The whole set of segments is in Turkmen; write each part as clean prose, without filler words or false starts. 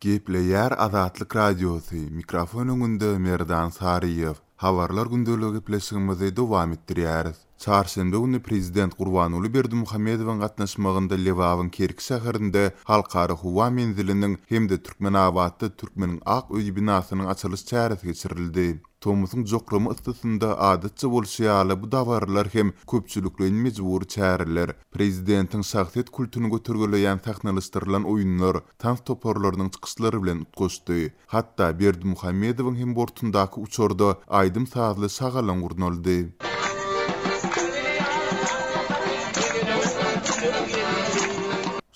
Gepleýär Azatlyk Radiosy, mikrofon öňünde Merdan Saryýew. Habarlar gündeligi gepleşigimizi dowam etdirýäris. Çarşenbe güni prezident Gurbanguly Berdimuhamedowyň gatnaşmagynda Lebabyň Kerki şäherinde Halkara howa menziliniň hem-de Türkmenabatda Türkmeniň ak öýi binasynyň açylyş çäresi geçirildi. Tomusyň jokrama yssysynda adatça bolşy ýaly bu dabaralar hem köpçülikleýin mejbury çäreler, prezidentiň şahsyýet kultuny götergeleýän sahnalaşdyrylan oýunlar, tans toparlarynyň çykyşlary bilen utgaşdy. Hatda Berdimuhamedowyň hem bortundaky uçarda aýdym-sazly şagalaň gurnaldy.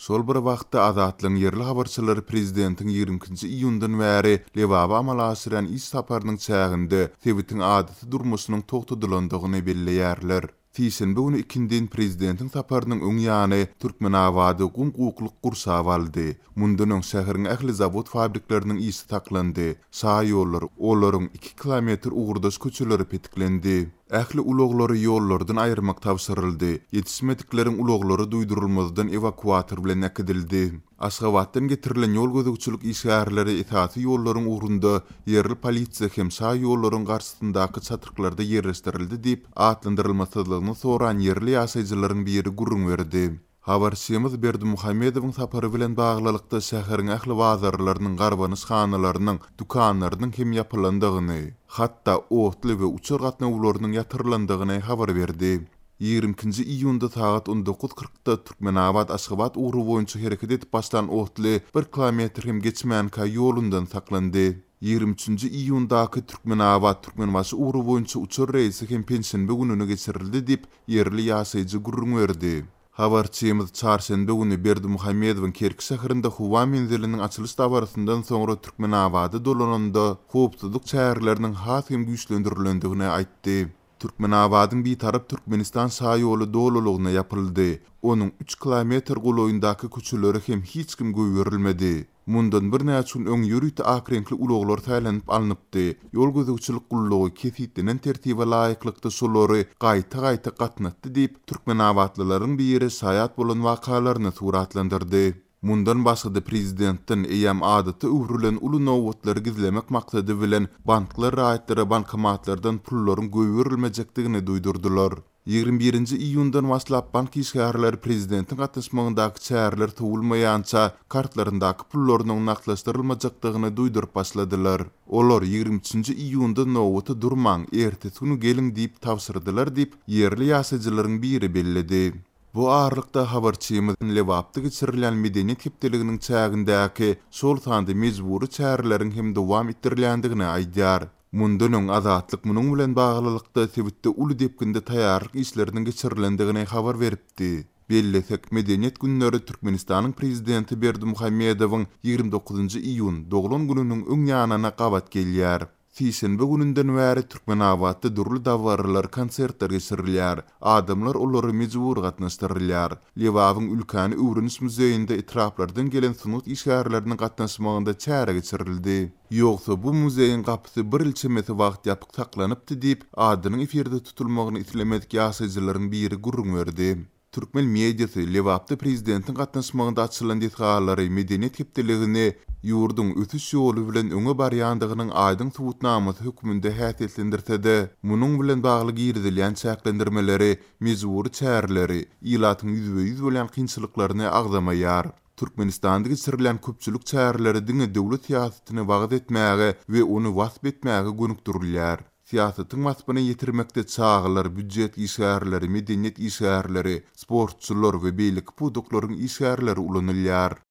Şol bir wagtda, Azatlygyň ýerli habarçylary prezidentiň 22-nji iýundan bäri Lebaba amala aşyrýan iş saparynyň çäginde sebitiň adaty durmuşynyň togtadylandygyny belleýärler. Sişenbe güni ikindin prezidentiň saparynyň öň ýany Türkmenabady gum-gukluk gurşap aldy. Mundan öň şäheriň ähli zawod-fabrikleriniň işi saklandy, şaýollar, olaryň iki kilometr ugurdaş köçeleri petiklendi. Ähli ulaglary ýollardan aýyrmak tabşyryldy, ýetişmedikleriň ulaglary duýdurylmazdan ewakuator bilen äkidildi. Aşgabatdan getirilen ýol gözegçilik işgärleri esasy ýollaryň ugrunda ýerli polisiýa hem şa ýollaryň garşysyndaky çatryklarda ýerleşdirildi diýip, atlandyrylmasyzlygyny soran ýerli ýaşaýjylaryň biri gürrüň berdi. Habarçymyz Berdimuhamedowyň sapary bilen baglylykda şäheriň ähli bazarlarynyň, garbanyşhanalarynyň, dükanlarynyň hem ýapylandygyny, hatda otly we uçar gatnawlarynyň ýatyrylandygyny habar berdi. 22-nji iýunda sagat 19 kyrkda Türkmenabat-Aşgabat ugry boýunça hereket edip başlan otly bir kilometr hem geçmänkä ýolundan saklandy. 23-nji iýundaky Türkmenabat-Türkmenbaşy ugry boýunça uçar reýsi hem penşenbe gününe geçirildi diýip, ýerli ýaşaýjy gürrüň berdi. Habarçymyz çarşenbe güni Berdimuhamedowyň Kerki şäherinde howa menziliniň açylyş dabarasyndan soňra Türkmenabada dolananda, howpsuzlyk çäreleriniň has hem güýçlendirilendigini aýtdy. Türkmenabadyň Bitarap Türkmenistan şaýoly dolulygyna ýapyldy. Onuň üç kilometr golaýyndaky köçelere hem hiç kim goýberilmedi. Mundan birnäçe gün öň ýörite ak reňkli ulaglar saýlanyp alnypdy. Ýol gözegçilik gullugy kesgitlenen tertibe laýyklykda şolary gaýta-gaýta gatnatdy diýip, türkmenabatlylaryň biri şaýat bolan wakalaryny suratlandyrdy. Mundan başga-da prezidentden eýýäm adata öwrülen uly nobatlary gizlemek maksady bilen banklar raýatlara bankomatlardan pullaryň goýberilmejekdigini duýdurdylar. 21-nji iýundan başlap bank işgärleri prezidentiň gatnaşmagyndaky çäreler sowulmaýança kartlaryndaky pullarynyň nagtlaşdyrylmajakdygyny duýduryp başladylar. Olar 23-nji iýunda nobata durmaň, ertesi güni geliň diýip tabşyrdylar diýip, ýerli ýaşaýjylaryň biri belledi. Bu aralykda habarçymyz Lebapda geçirilýän Medeniýet hepdeliginiň çägindäki, şol sanda mejbury çäreleriň hem dowam etdirilýändigini aýdýar. Mundan öň Azatlyk munuň bilen baglylykda sebitde uly depginde taýýarlyk işleriniň geçirilendigini habar beripdi. Bellesek, Medeniýet günleri Türkmenistanyň prezidenti Berdimuhamedowyň 29 njy iýun, doglan gününiň öň ýanyna gabat gelýär. Sişenbe gününden bäri Türkmenabatda dürli dabaralar, konsertler geçirilýär. Adamlar olara mejbury gatnaşdyrylýar. Lebabyň Ülkäni öwreniş muzeýinde etraplardan gelen sungat işgärleriniň gatnaşmagynda çäre geçirildi. Ýogsa bu muzeýiň gapysy bir ýyl çemesi wagt ýapyk saklanypdy diýip, adynyň efirde tutulmagyny islemedik ýaşaýjylaryň biri gürrüň berdi. Türkmen mediasy Lebapda prezidentiň gatnaşmagynda açylan desgalary Medeniýet hepdeligini ýurduň ösüş ýoly bilen öňe barýandygynyň aýdyň subutnamasy hökmünde häsiýetlendirse-de, munuň bilen bagly girizilýän çäklendirmeleri, mejbury çäreleri, ilatyň ýüzbe-ýüz bolýan kynçylyklaryny agzamaýar. Türkmenistanda geçirilýän köpçülik çäreleri diňe döwlet syýasatyny wagyz etmäge we ony wasp etmäge gönükdirilýär. Syýasatyň waspyny ýetirmekde çagalar, býujet işgärleri, medeniýet işgärleri, sportçular we beýleki pudaklaryň işgärleri ulanylýar.